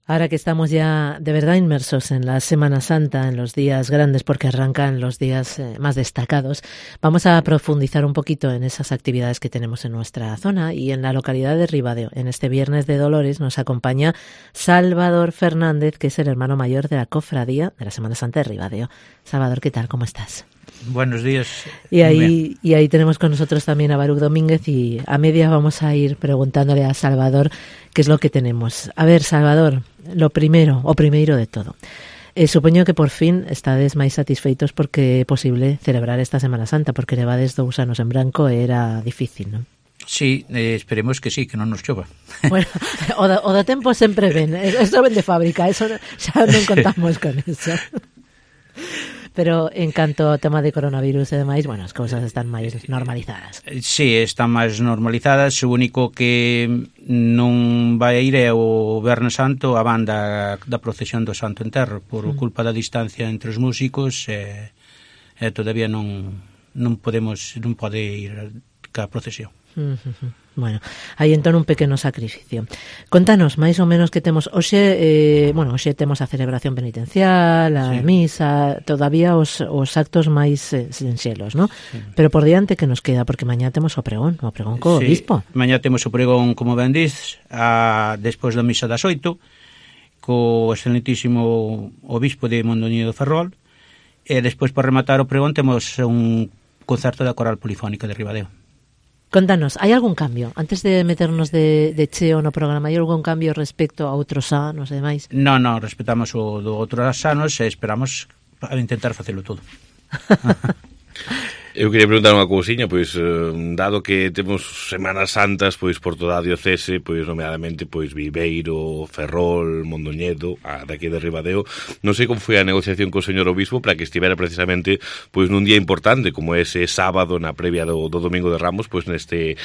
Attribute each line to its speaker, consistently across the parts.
Speaker 1: Ahora que estamos ya de verdad inmersos en la Semana Santa, en los días grandes, porque arrancan los días más destacados, vamos a profundizar un poquito en esas actividades que tenemos en nuestra zona y en la localidad de Ribadeo. En este Viernes de Dolores nos acompaña Salvador Fernández, que es el hermano mayor de la cofradía de la Semana Santa de Ribadeo. Salvador, ¿qué tal? ¿Cómo estás?
Speaker 2: Buenos días.
Speaker 1: Y ahí tenemos con nosotros también a Baruch Domínguez y a media vamos a ir preguntándole a Salvador qué es lo que tenemos. A ver, Salvador, lo primeiro de todo. Supoño que por fin estades máis satisfeitos porque é posible celebrar esta Semana Santa, porque levades 2 anos en branco e era difícil, non?
Speaker 2: Sí, esperemos que sí, que non nos chova.
Speaker 1: Bueno, o da tempo sempre ven, eso ven de fábrica, eso xa non contamos con eso. Pero en canto ao tema de coronavirus e demais, bueno, as cousas están máis normalizadas.
Speaker 2: Sí, están máis normalizadas, o único que non vai ir é o Viernes Santo a banda da procesión do Santo Enterro, por culpa da distancia entre os músicos e todavía non pode ir ca procesión.
Speaker 1: Bueno, hai entón un pequeno sacrificio. Contanos máis ou menos que temos hoxe, hoxe temos a celebración penitencial, a misa, todavía os actos máis sinxelos, non? Sí. Pero por diante que nos queda, porque mañá temos o pregón co obispo.
Speaker 2: Mañá temos o pregón, como ben diz, despois da misa das 8, co excelentísimo obispo de Mondoñedo Ferrol, e despois para rematar o pregón temos un concerto da Coral Polifónica de Ribadeo.
Speaker 1: Contanos, hai algún cambio? Antes de meternos de cheo no programa, hai algún cambio respecto a outros anos e demais?
Speaker 2: Non, respetamos o do outros anos e esperamos a intentar facelo todo.
Speaker 3: Eu queria preguntar unha cousiña, pois dado que temos Semanas Santas pois por toda a diocese, pois nomeadamente pois Viveiro, Ferrol, Mondoñedo, daqui de Ribadeo, non sei como foi a negociación co señor obispo para que estivera precisamente pois nun día importante como ese sábado na previa do Domingo de Ramos, pois neste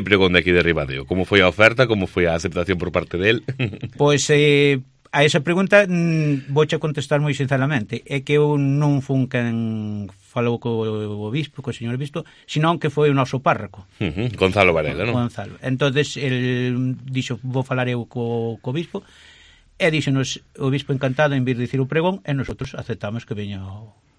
Speaker 3: pregón de aquí de Ribadeo. Como foi a oferta, como foi a aceptación por parte del?
Speaker 2: Pois a esa pregunta vouche contestar moi sinceramente. É que eu non fun quen falou co obispo, co señor obispo, senón que foi o noso párroco.
Speaker 3: Gonzalo Varela, non?
Speaker 2: Gonzalo. Entonces, el dixo, vou falar eu co obispo, e díxonos o obispo encantado en vir dicir o pregón, e nosotros aceptamos que veña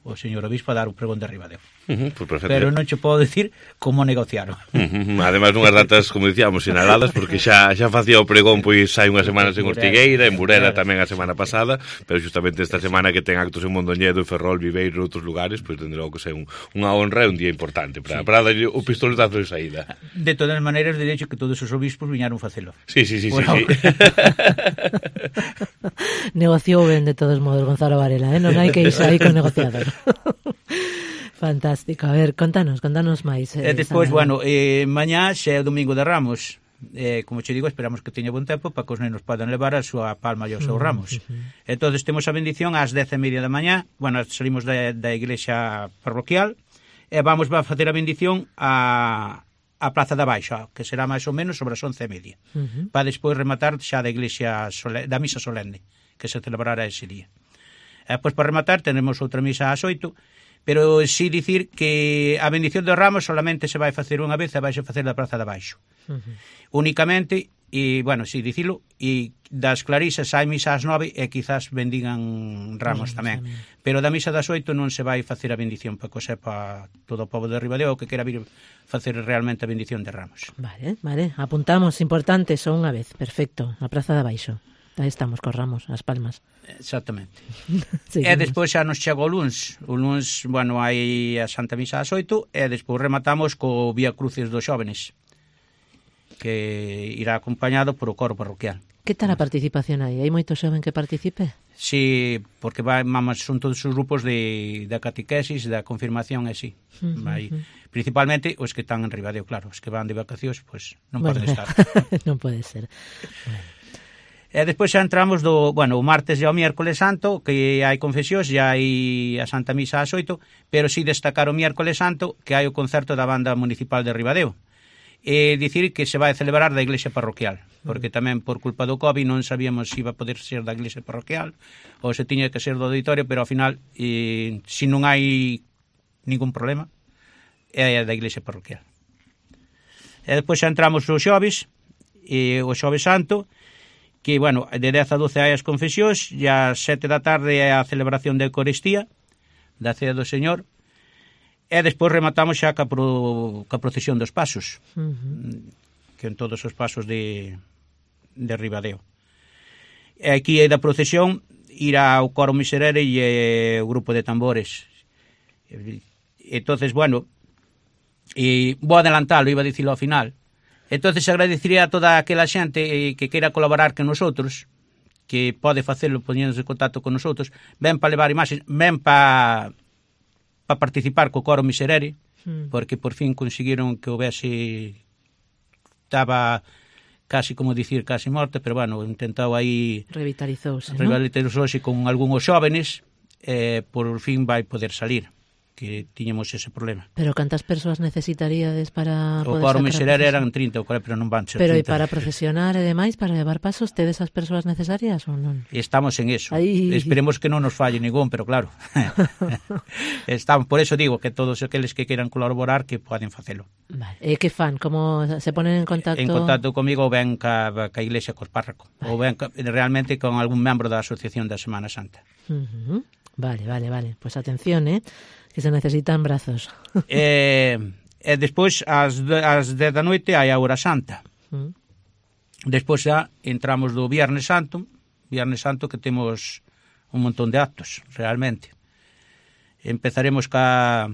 Speaker 2: o señor obispo a dar o pregón de Ribadeo.
Speaker 3: Pues
Speaker 2: pero non che podo dicir como negociaron.
Speaker 3: Ademais, nunhas datas, como dicíamos, sinaladas, porque xa facía o pregón pois hai unhas semanas en Ortigueira, en Burela tamén a semana pasada, pero justamente esta semana que ten actos en Mondoñedo, Ferrol, Viveiro e outros lugares, pois tendrá que ser unha honra e un día importante para darlle o pistoletazo de saída.
Speaker 2: De todas maneras, de hecho que todos os obispos viñaron facelo.
Speaker 3: Sí.
Speaker 1: Negociou ben de todos modos Gonzalo Varela, non hai que irse aí con negociador. Fantástico. A ver, contanos máis.
Speaker 2: Despois, mañá xa é o Domingo de Ramos. Como che digo, esperamos que teña bon tempo para que os nenos podan levar a súa palma e os seus ramos. Entón, temos a bendición ás 10:30 da mañá. Salimos da iglesia parroquial e vamos a facer a bendición a Praza da Baixa, que será máis ou menos sobre as 11:30. Para despois rematar xa da iglesia da misa solene, que se celebrará ese día. Pois para rematar tenemos outra misa ás 8, pero si dicir que a bendición dos ramos solamente se vai facer unha vez e vai se facer da Praza da Baixo. Únicamente, e, si dicilo, e das clarisas hai misa ás 9 e quizás bendigan ramos tamén. Pero da misa das 8 non se vai facer a bendición, para que o sepa todo o povo de Ribadeo que quera vir facer realmente a bendición de ramos.
Speaker 1: Vale, apuntamos, importante, só unha vez, perfecto, a Praza da Baixo. Aí estamos cos ramos, as palmas.
Speaker 2: Exactamente. E despois xa nos chega o luns. O luns, hai a Santa Misa ás 8 e despois rematamos co Vía Crucis dos Xóvenes, que irá acompañado por o coro parroquial.
Speaker 1: Que tal a participación aí? Hai moito xoven que participe?
Speaker 2: Sí, porque son todos os grupos da catequesis, da confirmación e sí. Principalmente os que están en Ribadeo, claro. Os que van de vacacións, pois non poden estar.
Speaker 1: Non pode ser.
Speaker 2: E despois xa entramos o martes e o miércoles santo, que hai confesións, e hai a Santa Misa ás 8, pero si destacar o miércoles santo, que hai o concerto da banda municipal de Ribadeo. E dicir que se vai celebrar da iglesia parroquial, porque tamén por culpa do COVID non sabíamos se iba a poder ser da iglesia parroquial ou se tiña que ser do auditorio, pero ao final, se non hai ningún problema, é da iglesia parroquial. E despois xa entramos os xoves, o xoves santo, que, bueno, de 10 a 12 hai as confesións, e ás 7 da tarde é a celebración da Eucaristía, da Cea do Señor, e despois rematamos xa ca procesión dos pasos, que en todos os pasos de Ribadeo. E aquí é da procesión ir ao coro miserere e o grupo de tambores. Entonces, bueno, vou adelantalo, iba a dicilo ao final. Entonces agradecería a toda aquela xente que queira colaborar con nosotros, que pode facelo poñéndose en contacto con nosotros, ben para levar imaxes, ben para participar co coro miserere, porque por fin conseguiron que houvese, estaba casi, como dicir, casi morte, pero bueno, intentaba aí
Speaker 1: revitalizouse,
Speaker 2: con algúns xóvenes, por fin vai poder salir, que tiñamos ese problema.
Speaker 1: Pero cantas persoas necesitaríades para
Speaker 2: o
Speaker 1: poder
Speaker 2: coro
Speaker 1: sacar
Speaker 2: miserere
Speaker 1: a
Speaker 2: eran 30 ou 40, pero non van ser 30.
Speaker 1: Pero e para procesionar e demais, para levar pasos, tedes as persoas necesarias ou non?
Speaker 2: Estamos en eso.
Speaker 1: Aí...
Speaker 2: Esperemos que non nos falle ningún, pero claro. Estamos, por eso digo que todos aqueles que queiran colaborar que poden facelo.
Speaker 1: Vale. E que fan? Como se ponen en contacto?
Speaker 2: En contacto comigo ou ben ca iglesia, cos párracos, ou ben realmente con algún membro da Asociación da Semana Santa.
Speaker 1: Vale. Pues atención, que se necesitan brazos.
Speaker 2: E despois, ás 10 da noite, hai a Hora Santa. Despois xa entramos do Viernes Santo, que temos un montón de actos, realmente. Empezaremos ca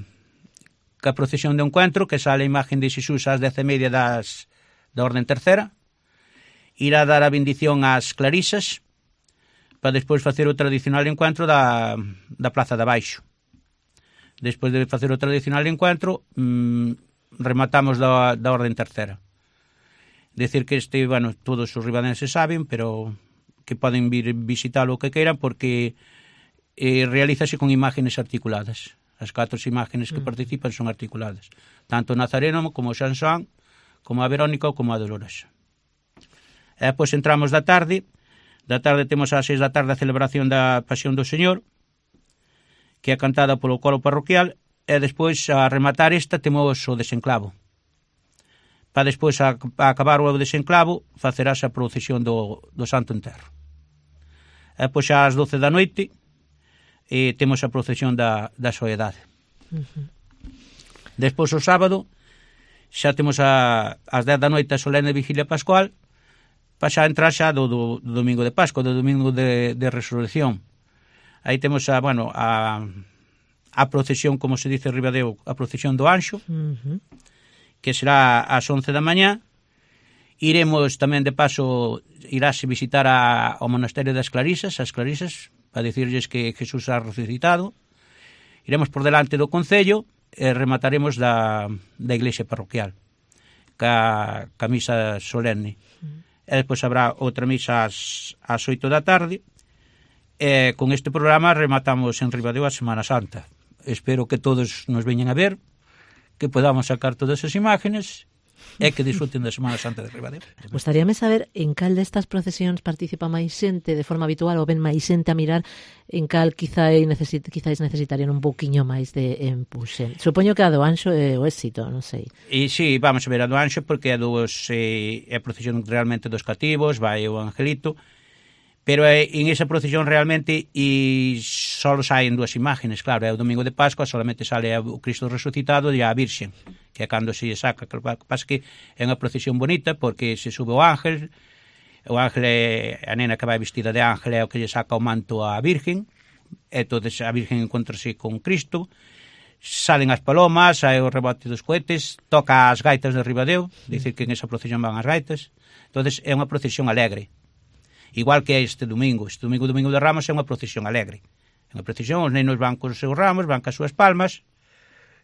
Speaker 2: procesión de encuentro, que sale a imagen de Xesús ás 10:30 da Orden Tercera. Irá dar a bendición ás clarisas, para despois facer o tradicional encuentro da Praza de Abaixo. Despois de facer o tradicional encuentro, rematamos da Orden Tercera. Decir que bueno, todos os ribadenses saben, pero que poden vir visitalo o que queiran, porque realízase con imágenes articuladas. As 4 imágenes que participan son articuladas. Tanto o Nazareno, como o Xanxán, como a Verónica ou como a Dolores. E depois entramos da tarde temos ás 6 da tarde a celebración da Pasión do Señor, que é cantada polo coro parroquial, e despois, a rematar esta, temos o desenclavo. Para despois, a acabar o desenclavo, facerase a procesión do Santo Enterro. E depois, ás 12 da noite, temos a procesión da Soedade. Despois, o sábado, xa temos ás 10 da noite a solene vigilia pascual, para xa entrar xa do domingo de Pascua, do domingo de Resurrección. Aí temos a procesión, como se dice en Ribadeo, a procesión do Anxo, que será ás 11 da mañá. Iremos tamén de paso, iráse visitar ao monasterio das Clarisas, as Clarisas, para dicirles que Jesús ha resucitado. Iremos por delante do Concello e remataremos da iglesia parroquial, ca misa solene. E depois habrá outra misa ás 8 da tarde. Con este programa rematamos en Ribadeo a Semana Santa. Espero que todos nos veñan a ver, que podamos sacar todas as imágenes e que disfruten da Semana Santa de Ribadeo.
Speaker 1: Gustaríame saber en cal destas procesións participa máis xente de forma habitual ou ven máis xente a mirar, en cal quizáis necesitarían un pouquiño máis de empuxe. Supoño que a do Anxo é o éxito, non sei.
Speaker 2: E sí, vamos a ver a do Anxo porque é a procesión realmente dos cativos, vai o Angelito, pero en esa procesión realmente só saen 2 imágenes, claro, é o domingo de Pascua, solamente sale o Cristo resucitado e a Virxen, que é cando se saca, que pasa que é unha procesión bonita porque se sube o ángel é a nena que vai vestida de ángel, é o que lle saca o manto á Virgen, e entonces a Virgen encontrase con Cristo, salen as palomas, hai o rebote dos cohetes, toca as gaitas de Ribadeo, dicir que en esa procesión van as gaitas, entonces é unha procesión alegre. Igual que este domingo de Ramos é unha procesión alegre. É unha procesión, os nenos van cos seus ramos, van cas súas palmas,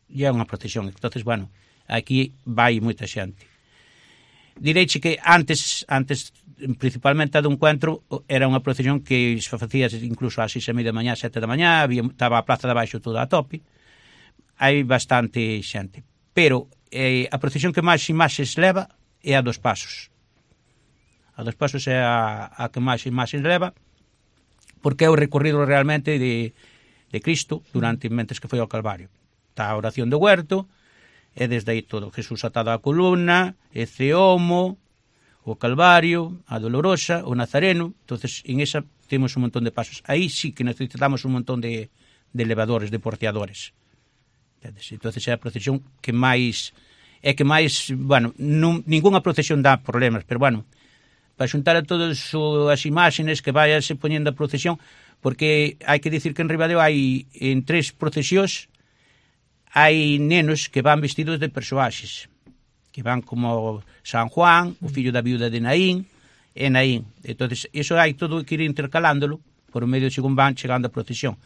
Speaker 2: e é unha procesión. Entonces, bueno, aquí vai moita xente. Direiche que antes principalmente a do encuentro, era unha procesión que se facía incluso ás 6:30 da mañá, 7 da mañá, estaba a Praza de Abaixo toda a tope. Hai bastante xente. Pero a procesión que máis imaxes leva é a dos Pasos. A dos Pasos é a que máis imaxes leva, porque é o recorrido realmente de Cristo mentes que foi ao Calvario. Está a oración do huerto, e desde aí todo. Jesús atado á columna, ese homo, o Calvario, a Dolorosa, o Nazareno. Entonces, en esa temos un montón de pasos. Aí sí que necesitamos un montón de elevadores, de porteadores. Entonces é a procesión que máis... É que máis, bueno, ningunha procesión dá problemas, pero, bueno, para xuntar a todas as imaxes que vayase poñendo a procesión, porque hai que dicir que en Ribadeo hai, en 3 procesións, hai nenos que van vestidos de persoaxes, que van como San Juan, o fillo da viuda de Naín, e Naín. Entonces, iso hai todo que ir intercalándolo por o medio según van chegando a procesión.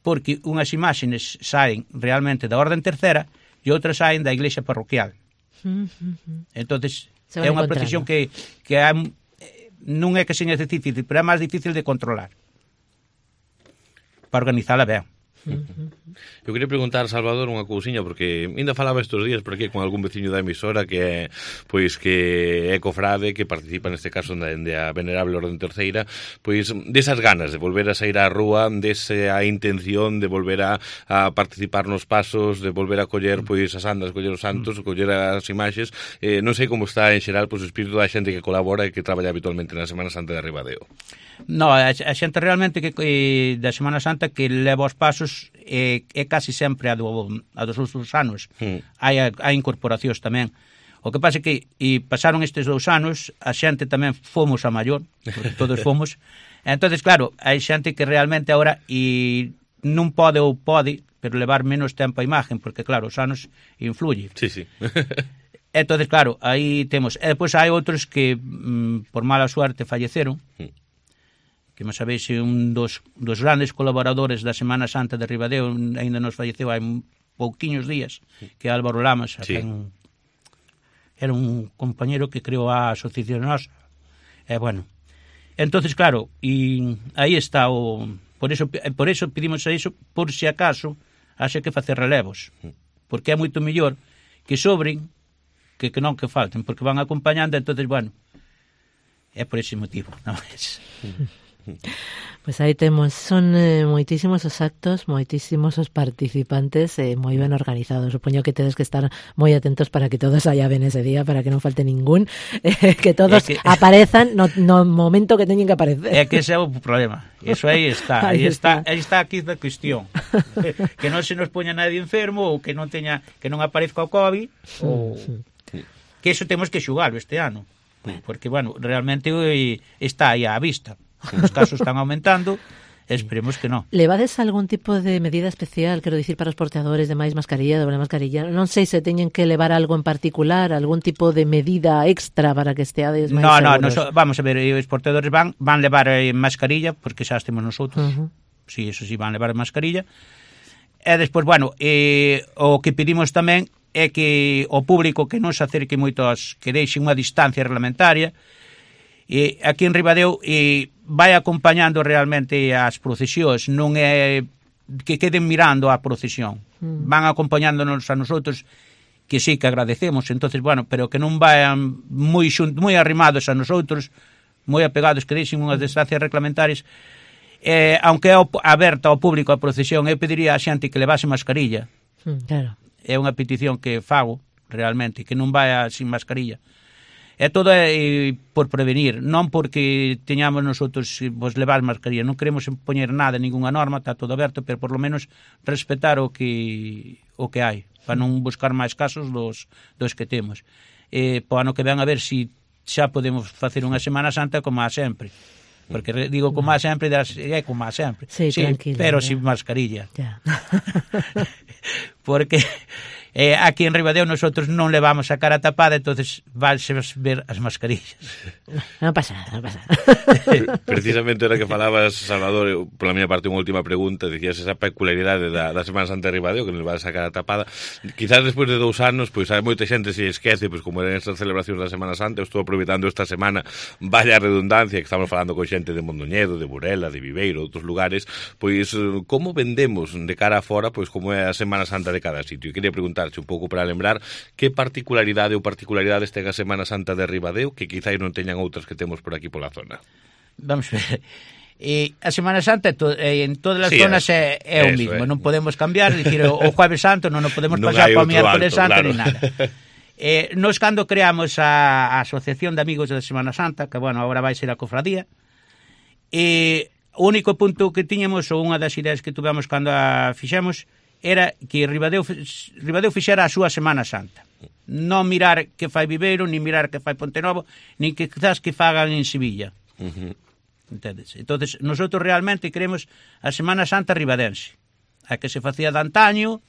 Speaker 2: Porque unhas imaxes saen realmente da orden tercera e outras saen da iglesia parroquial. Entonces, é unha procesión que non é que seña difícil, pero é máis difícil de controlar para organizala ben.
Speaker 3: Eu queria preguntar, Salvador, unha cousiña, porque ainda falaba estes días por aquí con algún veciño da emisora que é cofrade, que participa neste caso dende a Venerable Orden Terceira, pois desas ganas de volver a sair á rúa, desa intención de volver a participar nos pasos, de volver a coller pois as andas, coller os santos, coller as imaxes. Non sei como está en xeral pois o espírito da xente que colabora e que traballa habitualmente na Semana Santa de Ribadeo.
Speaker 2: No, a xente realmente que da Semana Santa que leva os pasos é casi sempre a dos outros anos. Hai incorporacións tamén. O que pasa é que pasaron estes 2 anos, a xente tamén fomos a maior, porque todos fomos. Entonces, claro, hai xente que realmente agora non pode ou pode, pero levar menos tempo a imagen, porque claro, os anos influye.
Speaker 3: Sí, sí.
Speaker 2: Entonces, claro, aí temos. E depois hai outros que por mala suerte falleceron, que me sabéis, un dos grandes colaboradores da Semana Santa de Ribadeo ainda nos falleceu hai pouquiños días, que é Álvaro Lamas, sí. Era un compañero que creou a asociación nosa. Bueno, entonces claro, e aí está por eso pedimos a iso, por si acaso haxe que facer relevos, porque é moito mellor que sobren que non que falten, porque van acompañando. Entonces, bueno, é por ese motivo, non é?
Speaker 1: Pois aí temos, son moitísimos os actos, moitísimos os participantes, moi ben organizados. Supoño que tedes que estar moi atentos para que todos haya ben ese día, para que non falte ningún, que todos aparezan no momento que teñen que aparecer.
Speaker 2: É que ese é o problema. Eso aí está. Aí está aquí a cuestión. Que non se nos poña nadie enfermo, ou que non aparezca o COVID, ou que eso temos que xugalo este ano. Porque, bueno, realmente está aí á vista. Os casos están aumentando, esperemos que non.
Speaker 1: Levades algún tipo de medida especial, quero dicir, para os porteadores de máis mascarilla, doble mascarilla? Non sei se teñen que levar algo en particular, algún tipo de medida extra para que esteades máis seguros.
Speaker 2: No, vamos a ver, os porteadores van levar mascarilla, porque xa estemos nosotros. Sí, eso sí, van levar mascarilla. E despois, bueno, o que pedimos tamén é que o público que non se acerque moito que deixen unha distancia reglamentaria. Aquí en Ribadeo vai acompañando realmente as procesións, non é que queden mirando a procesión, van acompañándonos a nosotros, que sí que agradecemos. Entonces, bueno, pero que non vayan moi arrimados a nosotros, moi apegados, que deixen unhas distancias reglamentarias. Aunque é aberta ao público a procesión, eu pediría a xente que levase mascarilla.
Speaker 1: Claro.
Speaker 2: É unha petición que fago realmente, que non vaya sin mascarilla. É todo por prevenir, non porque teñamos nosotros levar mascarilla, non queremos poñer nada, ninguna norma, está todo aberto, pero por lo menos respetar o que hai, para non buscar máis casos dos que temos. Para ano que ven a ver se xa podemos facer unha Semana Santa como a sempre. Porque digo como a sempre, é como a sempre.
Speaker 1: Sí, tranquilo.
Speaker 2: Pero sin mascarilla.
Speaker 1: Ya.
Speaker 2: Porque aquí en Ribadeo nosotros non levamos a cara tapada, entonces vanse ver as mascarillas.
Speaker 1: Non pasa nada.
Speaker 3: Precisamente era que falabas, Salvador, pola miña parte unha última pregunta, dicías esa peculiaridade da Semana Santa de Ribadeo, que non levas a cara tapada. Quizás despois de 2 anos, pois hai moita xente se esquece, pois como eran estas celebracións da Semana Santa. Eu estou aproveitando esta semana, vaya redundancia, que estamos falando con xente de Mondoñedo, de Burela, de Viveiro, outros lugares, pois como vendemos de cara a fora, pois como é a Semana Santa de cada sitio. E quería preguntarche un pouco para lembrar que particularidades ten a Semana Santa de Ribadeo que quizás non teñan outras que temos por aquí pola zona.
Speaker 2: Vamos ver. A Semana Santa en todas as zonas é o mismo, non podemos cambiar, dicir, o Jueves Santo non podemos pasar para o miércoles santo, claro. Ni nada. Nos cando creamos a Asociación de Amigos da Semana Santa, que, bueno, agora vai ser a cofradía, o único punto que tiñamos, ou unha das ideas que tuvemos cando a fixemos, era que Ribadeo fixera a súa Semana Santa. Non mirar que fai Viveiro, nin mirar que fai Pontenovo, nin que quizás que fagan en Sevilla. Entendes? Entonces, nosotros realmente queremos a Semana Santa ribadense, a que se facía de antaño.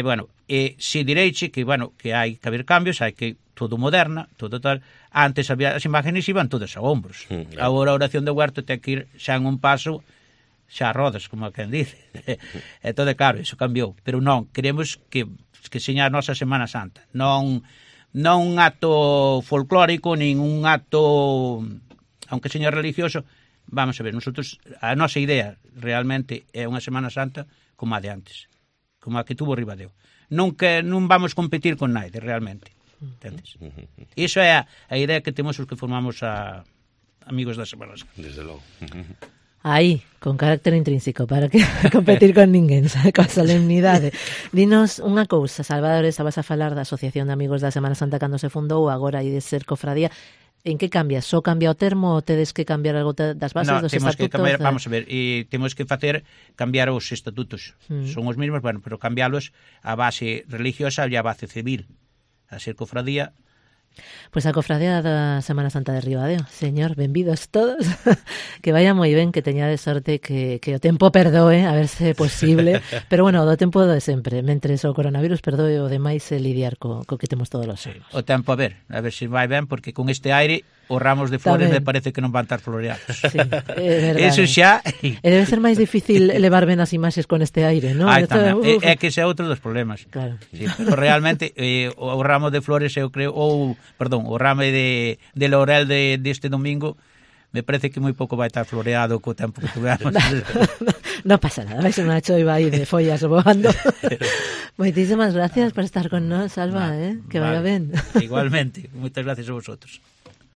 Speaker 2: Bueno, se direiche que, bueno, que hai que haber cambios, hai que todo moderna, todo tal. Antes había as imágenes iban todas a hombros. Agora a oración de Huerto ten que ir xa en un paso, xa a rodas, como quen dice. Entón, claro, iso cambiou. Pero non, queremos que seña a nosa Semana Santa. Non un acto folclórico, nin un acto, aunque seña religioso. Vamos a ver, nosotros, a nosa idea realmente é unha Semana Santa como a de antes, como a que tuvo Ribadeo. Non vamos competir con naide, realmente. Entendes? Iso é a idea que temos os que formamos a Amigos da Semana Santa.
Speaker 3: Desde logo.
Speaker 1: Aí, con carácter intrínseco, para que competir con ninguén, coa solemnidade. Dinos unha cousa, Salvador, estabas a falar da Asociación de Amigos da Semana Santa cando se fundou, agora hai de ser cofradía. En que cambia? Só cambia o termo ou tedes que cambiar algo das bases dos estatutos?
Speaker 2: Que cambiar, vamos a ver, temos que cambiar os estatutos. Son os mesmos, bueno, pero cambialos a base religiosa e a base civil. A ser cofradía.
Speaker 1: Pois a cofradía da Semana Santa de Ribadeo. Señor, benvidos todos. Que vaya moi ben, que teñade sorte, que o tempo perdoe, a ver se é posible. Pero bueno, do tempo de sempre. Mentres o coronavirus perdoe, o demais é lidiar co que temos todos os anos.
Speaker 2: O tempo a ver se vai ben, porque con este aire os ramos de flores me parece que non van estar floreados.
Speaker 1: Sí, é verdade.
Speaker 2: Eso xa...
Speaker 1: E debe ser máis difícil levar ben as imaxes con este aire, non?
Speaker 2: É que ese é outro dos problemas.
Speaker 1: Claro.
Speaker 2: Sí, pero realmente o ramo de flores, eu creo, o ramo de laurel deste domingo, me parece que moi pouco vai estar floreado co tempo que tuvemos.
Speaker 1: Non pasa nada, vai ser unha choiva aí de follas voando. Moitísimas gracias por estar con nós, Salva, que vaya ben.
Speaker 2: Igualmente, moitas gracias a vosotros.